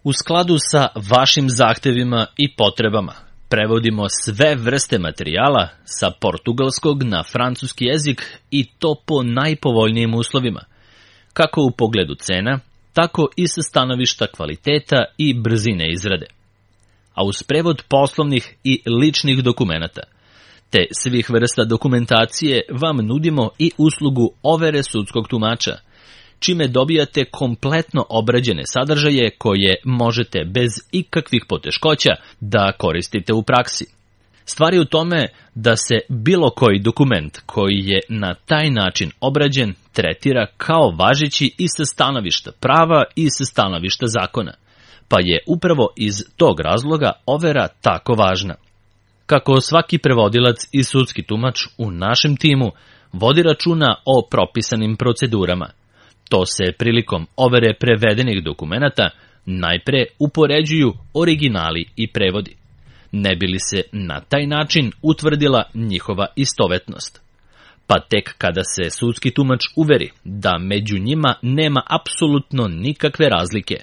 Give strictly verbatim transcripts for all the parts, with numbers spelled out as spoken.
U skladu sa vašim zahtevima i potrebama, prevodimo sve vrste materijala sa portugalskog na francuski jezik i to po najpovoljnijim uslovima, kako u pogledu cena, tako i sa stanovišta kvaliteta i brzine izrade. A uz prevod poslovnih i ličnih dokumenata, te svih vrsta dokumentacije vam nudimo i uslugu overe sudskog tumača, čime dobijate kompletno obrađene sadržaje koje možete bez ikakvih poteškoća da koristite u praksi. Stvar je u tome da se bilo koji dokument koji je na taj način obrađen tretira kao važeći i sa stanovišta prava i sa stanovišta zakona, pa je upravo iz tog razloga overa tako važna. Kako svaki prevodilac i sudski tumač u našem timu vodi računa o propisanim procedurama, to se prilikom overe prevedenih dokumenata najpre upoređuju originali i prevodi, ne bi li se na taj način utvrdila njihova istovetnost. Pa tek kada se sudski tumač uveri da među njima nema apsolutno nikakve razlike,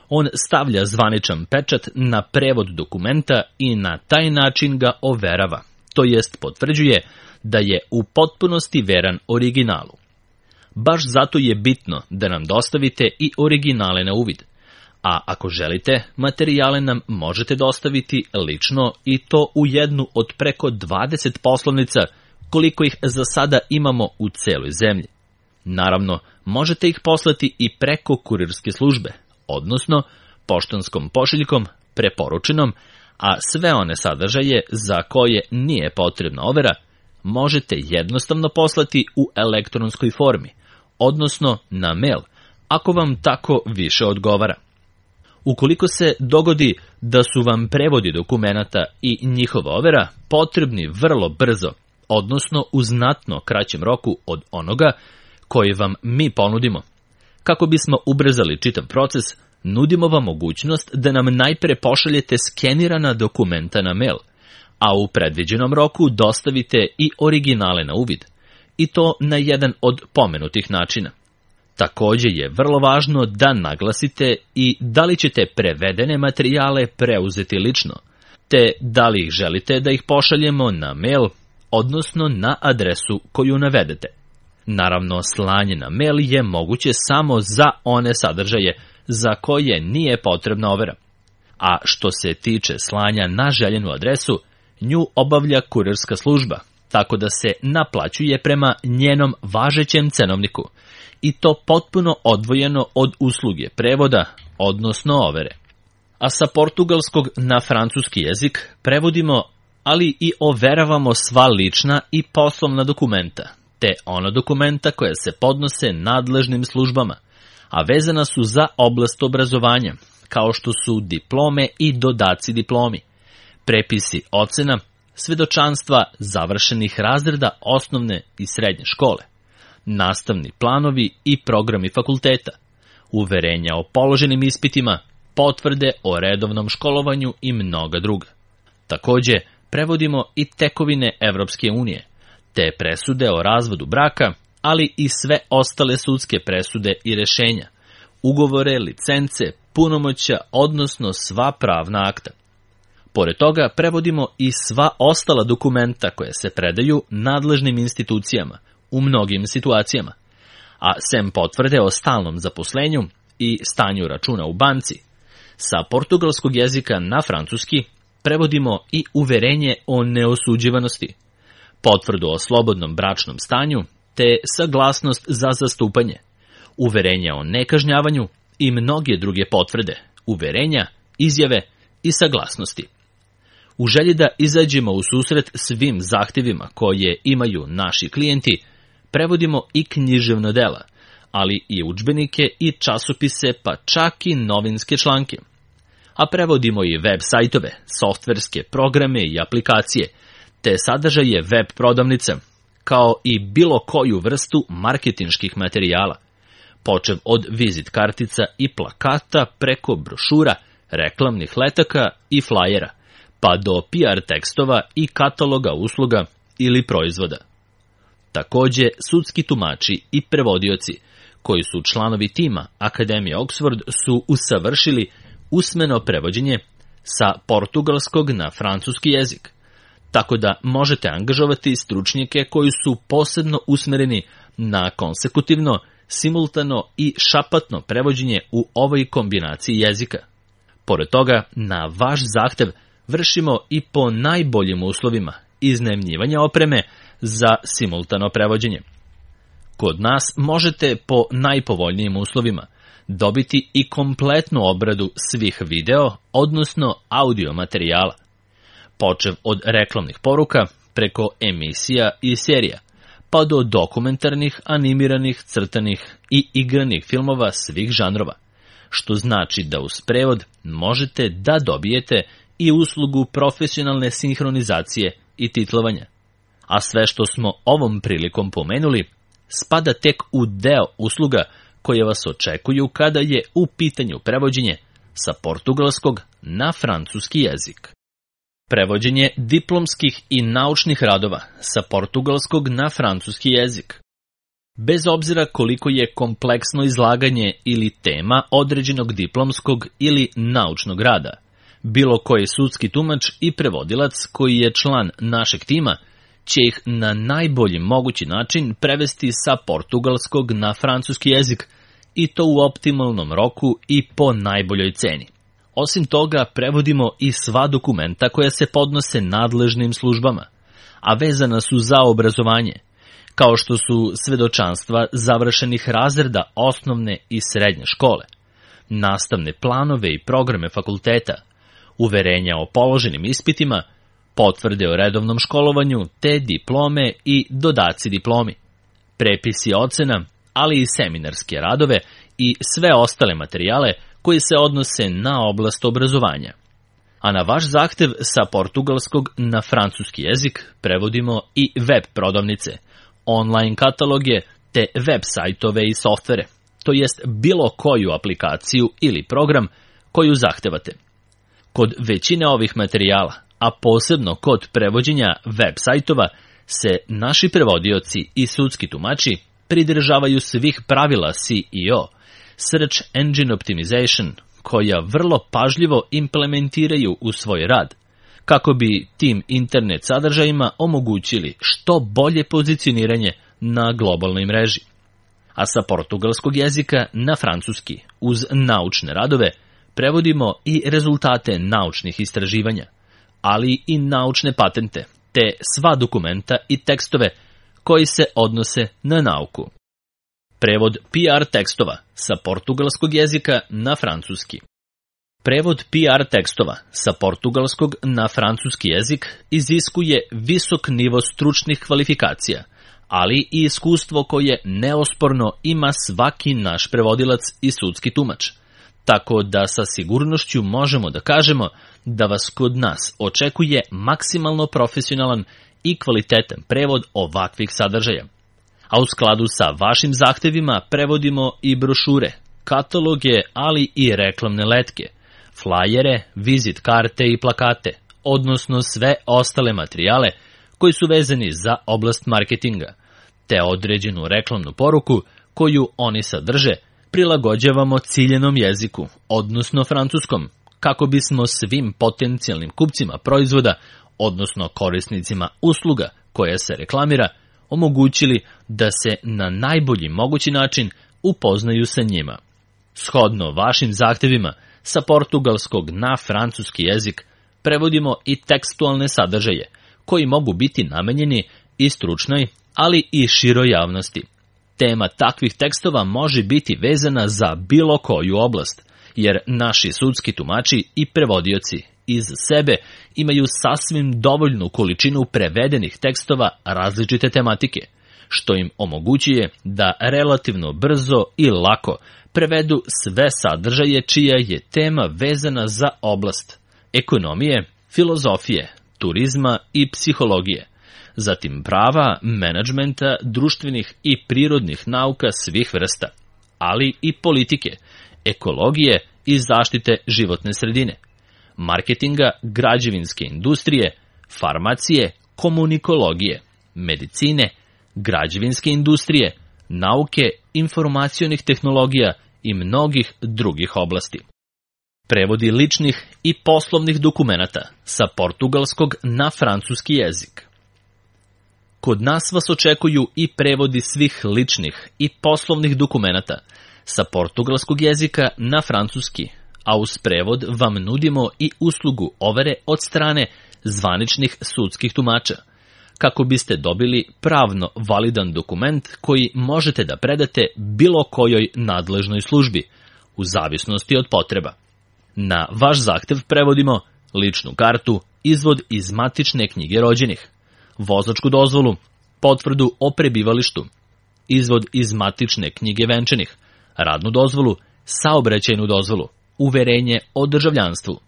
on stavlja zvaničan pečat na prevod dokumenta i na taj način ga overava, to jest potvrđuje da je u potpunosti veran originalu. Baš zato je bitno da nam dostavite i originale na uvid, a ako želite, materijale nam možete dostaviti lično i to u jednu od preko dvadeset poslovnica koliko ih za sada imamo u celoj zemlji. Naravno, možete ih poslati i preko kurirske službe, odnosno poštanskom pošiljkom preporučenom, a sve one sadržaje za koje nije potrebna overa možete jednostavno poslati u elektronskoj formi, odnosno na mail, ako vam tako više odgovara. Ukoliko se dogodi da su vam prevodi dokumenata i njihova overa potrebni vrlo brzo, odnosno u znatno kraćem roku od onoga koji vam mi ponudimo, kako bismo ubrzali čitav proces, nudimo vam mogućnost da nam najpre pošaljete skenirana dokumenta na mail, a u predviđenom roku dostavite i originale na uvid, i to na jedan od pomenutih načina. Također je vrlo važno da naglasite i da li ćete prevedene materijale preuzeti lično, te da li ih želite da ih pošaljemo na mail, odnosno na adresu koju navedete. Naravno, slanje na mail je moguće samo za one sadržaje za koje nije potrebna overa. A što se tiče slanja na željenu adresu, nju obavlja kurirska služba, tako da se naplaćuje prema njenom važećem cenovniku, i to potpuno odvojeno od usluge prevoda, odnosno overe. A sa portugalskog na francuski jezik prevodimo, ali i overavamo sva lična i poslovna dokumenta, te ona dokumenta koja se podnose nadležnim službama, a vezana su za oblast obrazovanja, kao što su diplome i dodaci diplomi, prepisi ocena, svedočanstva završenih razreda osnovne i srednje škole, nastavni planovi i programi fakulteta, uverenja o položenim ispitima, potvrde o redovnom školovanju i mnoga druga. Također, prevodimo i tekovine Evropske unije, te presude o razvodu braka, ali i sve ostale sudske presude i rešenja, ugovore, licence, punomoćja, odnosno sva pravna akta. Pored toga, prevodimo i sva ostala dokumenta koje se predaju nadležnim institucijama u mnogim situacijama, a sem potvrde o stalnom zaposlenju i stanju računa u banci, sa portugalskog jezika na francuski prevodimo i uverenje o neosuđivanosti, potvrdu o slobodnom bračnom stanju, te saglasnost za zastupanje, uverenja o nekažnjavanju i mnoge druge potvrde, uverenja, izjave i saglasnosti. U želji da izađemo u susret svim zahtjevima koje imaju naši klijenti, prevodimo i književna dela, ali i udžbenike i časopise, pa čak i novinske članke. A prevodimo i web sajtove, softverske programe i aplikacije, te sadržaje web prodavnica, kao i bilo koju vrstu marketinških materijala, počev od vizit kartica i plakata preko brošura, reklamnih letaka i flajera, pa do P R tekstova i kataloga usluga ili proizvoda. Također, sudski tumači i prevodioci, koji su članovi tima Akademije Oxford, su usavršili usmeno prevođenje sa portugalskog na francuski jezik, tako da možete angažovati stručnjake koji su posebno usmereni na konsekutivno, simultano i šapatno prevođenje u ovoj kombinaciji jezika. Pored toga, na vaš zahtev vršimo i po najboljim uslovima iznajmljivanja opreme za simultano prevođenje. Kod nas možete po najpovoljnijim uslovima dobiti i kompletnu obradu svih video, odnosno audio materijala, počev od reklamnih poruka, preko emisija i serija, pa do dokumentarnih, animiranih, crtanih i igranih filmova svih žanrova, što znači da uz prevod možete da dobijete i uslugu profesionalne sinhronizacije i titlovanja. A sve što smo ovom prilikom pomenuli spada tek u deo usluga koje vas očekuju kada je u pitanju prevođenje sa portugalskog na francuski jezik. Prevođenje diplomskih i naučnih radova sa portugalskog na francuski jezik. Bez obzira koliko je kompleksno izlaganje ili tema određenog diplomskog ili naučnog rada, bilo koji sudski tumač i prevodilac koji je član našeg tima će ih na najbolji mogući način prevesti sa portugalskog na francuski jezik i to u optimalnom roku i po najboljoj ceni. Osim toga, prevodimo i sva dokumenta koja se podnose nadležnim službama, a vezana su za obrazovanje, kao što su svedočanstva završenih razreda osnovne i srednje škole, nastavne planove i programe fakulteta, uverenja o položenim ispitima, potvrde o redovnom školovanju te diplome i dodaci diplomi, prepisi ocena, ali i seminarske radove i sve ostale materijale koji se odnose na oblast obrazovanja. A na vaš zahtev sa portugalskog na francuski jezik prevodimo i web prodavnice, online kataloge te web sajtove i softvere, to jest bilo koju aplikaciju ili program koju zahtevate. Kod većine ovih materijala, a posebno kod prevođenja web sajtova, se naši prevodioci i sudski tumači pridržavaju svih pravila C E O, Search Engine Optimization, koja vrlo pažljivo implementiraju u svoj rad, kako bi tim internet sadržajima omogućili što bolje pozicioniranje na globalnoj mreži. A sa portugalskog jezika na francuski, uz naučne radove, prevodimo i rezultate naučnih istraživanja, ali i naučne patente, te sva dokumenta i tekstove koji se odnose na nauku. Prevod P R tekstova sa portugalskog jezika na francuski. Prevod P R tekstova sa portugalskog na francuski jezik iziskuje visok nivo stručnih kvalifikacija, ali i iskustvo koje neosporno ima svaki naš prevodilac i sudski tumač, tako da sa sigurnošću možemo da kažemo da vas kod nas očekuje maksimalno profesionalan i kvalitetan prevod ovakvih sadržaja. A u skladu sa vašim zahtevima prevodimo i brošure, kataloge, ali i reklamne letke, flajere, vizit karte i plakate, odnosno sve ostale materijale koji su vezani za oblast marketinga, te određenu reklamnu poruku koju oni sadrže prilagođavamo ciljenom jeziku, odnosno francuskom, kako bismo svim potencijalnim kupcima proizvoda, odnosno korisnicima usluga koja se reklamira, omogućili da se na najbolji mogući način upoznaju sa njima. Shodno vašim zahtevima, sa portugalskog na francuski jezik prevodimo i tekstualne sadržaje, koji mogu biti namenjeni i stručnoj, ali i široj javnosti. Tema takvih tekstova može biti vezana za bilo koju oblast, jer naši sudski tumači i prevodioci iz sebe imaju sasvim dovoljnu količinu prevedenih tekstova različite tematike, što im omogućuje da relativno brzo i lako prevedu sve sadržaje čija je tema vezana za oblast ekonomije, filozofije, turizma i psihologije, zatim prava, menadžmenta, društvenih i prirodnih nauka svih vrsta, ali i politike, ekologije i zaštite životne sredine, marketinga, građevinske industrije, farmacije, komunikologije, medicine, građevinske industrije, nauke, informacionih tehnologija i mnogih drugih oblasti. prevodi ličnih i poslovnih dokumenata sa portugalskog na francuski jezik. Kod nas vas očekuju i prevodi svih ličnih i poslovnih dokumenata sa portugalskog jezika na francuski, a uz prevod vam nudimo i uslugu overe od strane zvaničnih sudskih tumača, kako biste dobili pravno validan dokument koji možete da predate bilo kojoj nadležnoj službi, u zavisnosti od potreba. Na vaš zahtev prevodimo ličnu kartu, izvod iz matične knjige rođenih, vozačku dozvolu, potvrdu o prebivalištu, izvod iz matične knjige venčanih, radnu dozvolu, saobraćajnu dozvolu, uverenje o državljanstvu,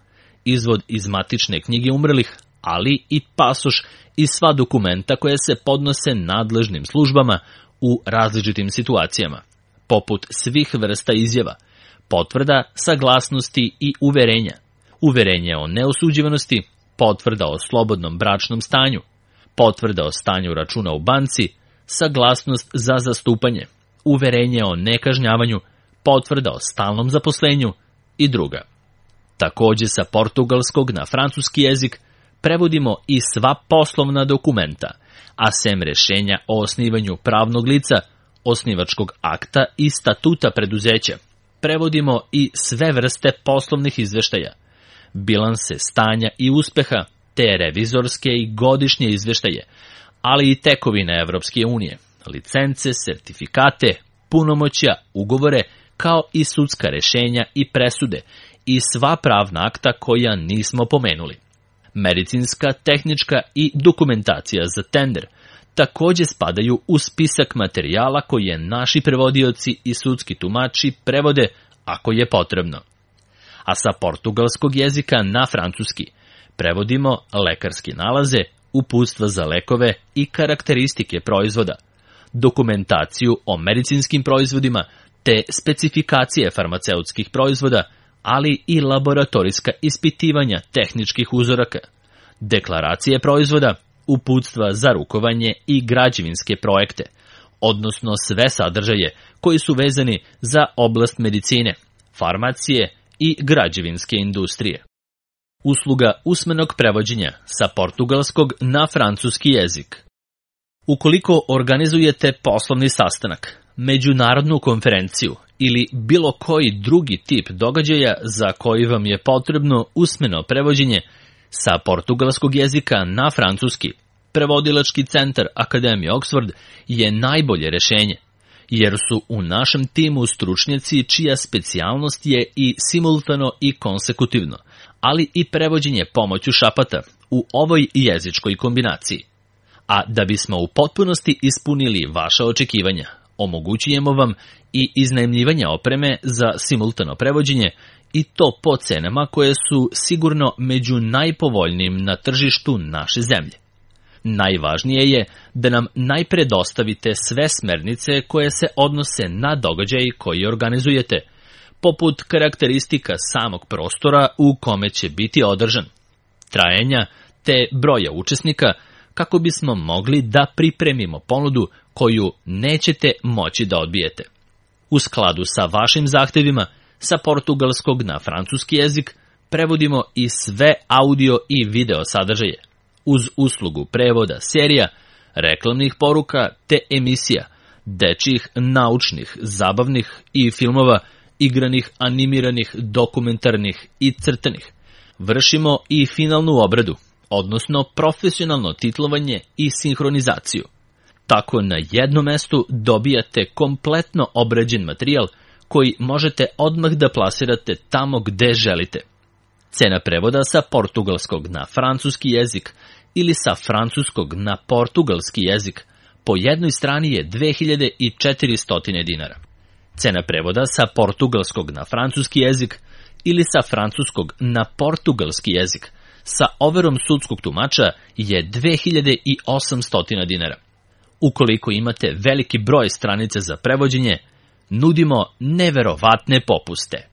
izvod iz matične knjige umrlih, ali i pasoš i sva dokumenta koje se podnose nadležnim službama u različitim situacijama, poput svih vrsta izjava, potvrda, saglasnosti i uverenja, uverenje o neosuđivanosti, potvrda o slobodnom bračnom stanju, potvrda o stanju računa u banci, saglasnost za zastupanje, uverenje o nekažnjavanju, potvrda o stalnom zaposlenju i druga. Takođe sa portugalskog na francuski jezik prevodimo i sva poslovna dokumenta, a sem rešenja o osnivanju pravnog lica, osnivačkog akta i statuta preduzeća, prevodimo i sve vrste poslovnih izveštaja, bilanse stanja i uspeha, te revizorske i godišnje izveštaje, ali i tekovine Evropske unije, licence, sertifikate, punomoćja, ugovore, kao i sudska rešenja i presude i sva pravna akta koja nismo pomenuli. Medicinska, tehnička i dokumentacija za tender takođe spadaju u spisak materijala koje naši prevodioci i sudski tumači prevode ako je potrebno. A sa portugalskog jezika na francuski prevodimo lekarske nalaze, uputstva za lekove i karakteristike proizvoda, dokumentaciju o medicinskim proizvodima te specifikacije farmaceutskih proizvoda, ali i laboratorijska ispitivanja tehničkih uzoraka, deklaracije proizvoda, uputstva za rukovanje i građevinske projekte, odnosno sve sadržaje koji su vezani za oblast medicine, farmacije i građevinske industrije. Usluga usmenog prevođenja sa portugalskog na francuski jezik. Ukoliko organizujete poslovni sastanak, međunarodnu konferenciju ili bilo koji drugi tip događaja za koji vam je potrebno usmeno prevođenje sa portugalskog jezika na francuski, prevodilački centar Akademije Oxford je najbolje rešenje, jer su u našem timu stručnjaci čija specijalnost je i simultano i konsekutivno, ali i prevođenje pomoću šapata u ovoj jezičkoj kombinaciji. A da bismo u potpunosti ispunili vaša očekivanja, omogućujemo vam i iznajmljivanje opreme za simultano prevođenje i to po cenama koje su sigurno među najpovoljnijim na tržištu naše zemlje. Najvažnije je da nam najpre dostavite sve smernice koje se odnose na događaj koji organizujete, poput karakteristika samog prostora u kome će biti održan, trajanja te broja učesnika, kako bismo mogli da pripremimo ponudu koju nećete moći da odbijete. U skladu sa vašim zahtevima, sa portugalskog na francuski jezik prevodimo i sve audio i video sadržaje, uz uslugu prevoda serija, reklamnih poruka te emisija, dečjih, naučnih, zabavnih i filmova, igranih, animiranih, dokumentarnih i crtanih. Vršimo i finalnu obradu, odnosno profesionalno titlovanje i sinhronizaciju. Tako na jednom mestu dobijate kompletno obrađen materijal koji možete odmah da plasirate tamo gde želite. Cena prevoda sa portugalskog na francuski jezik ili sa francuskog na portugalski jezik po jednoj strani je dve hiljade četiristo dinara. Cena prevoda sa portugalskog na francuski jezik ili sa francuskog na portugalski jezik sa overom sudskog tumača je dve hiljade osamsto dinara. Ukoliko imate veliki broj stranica za prevođenje, nudimo neverovatne popuste.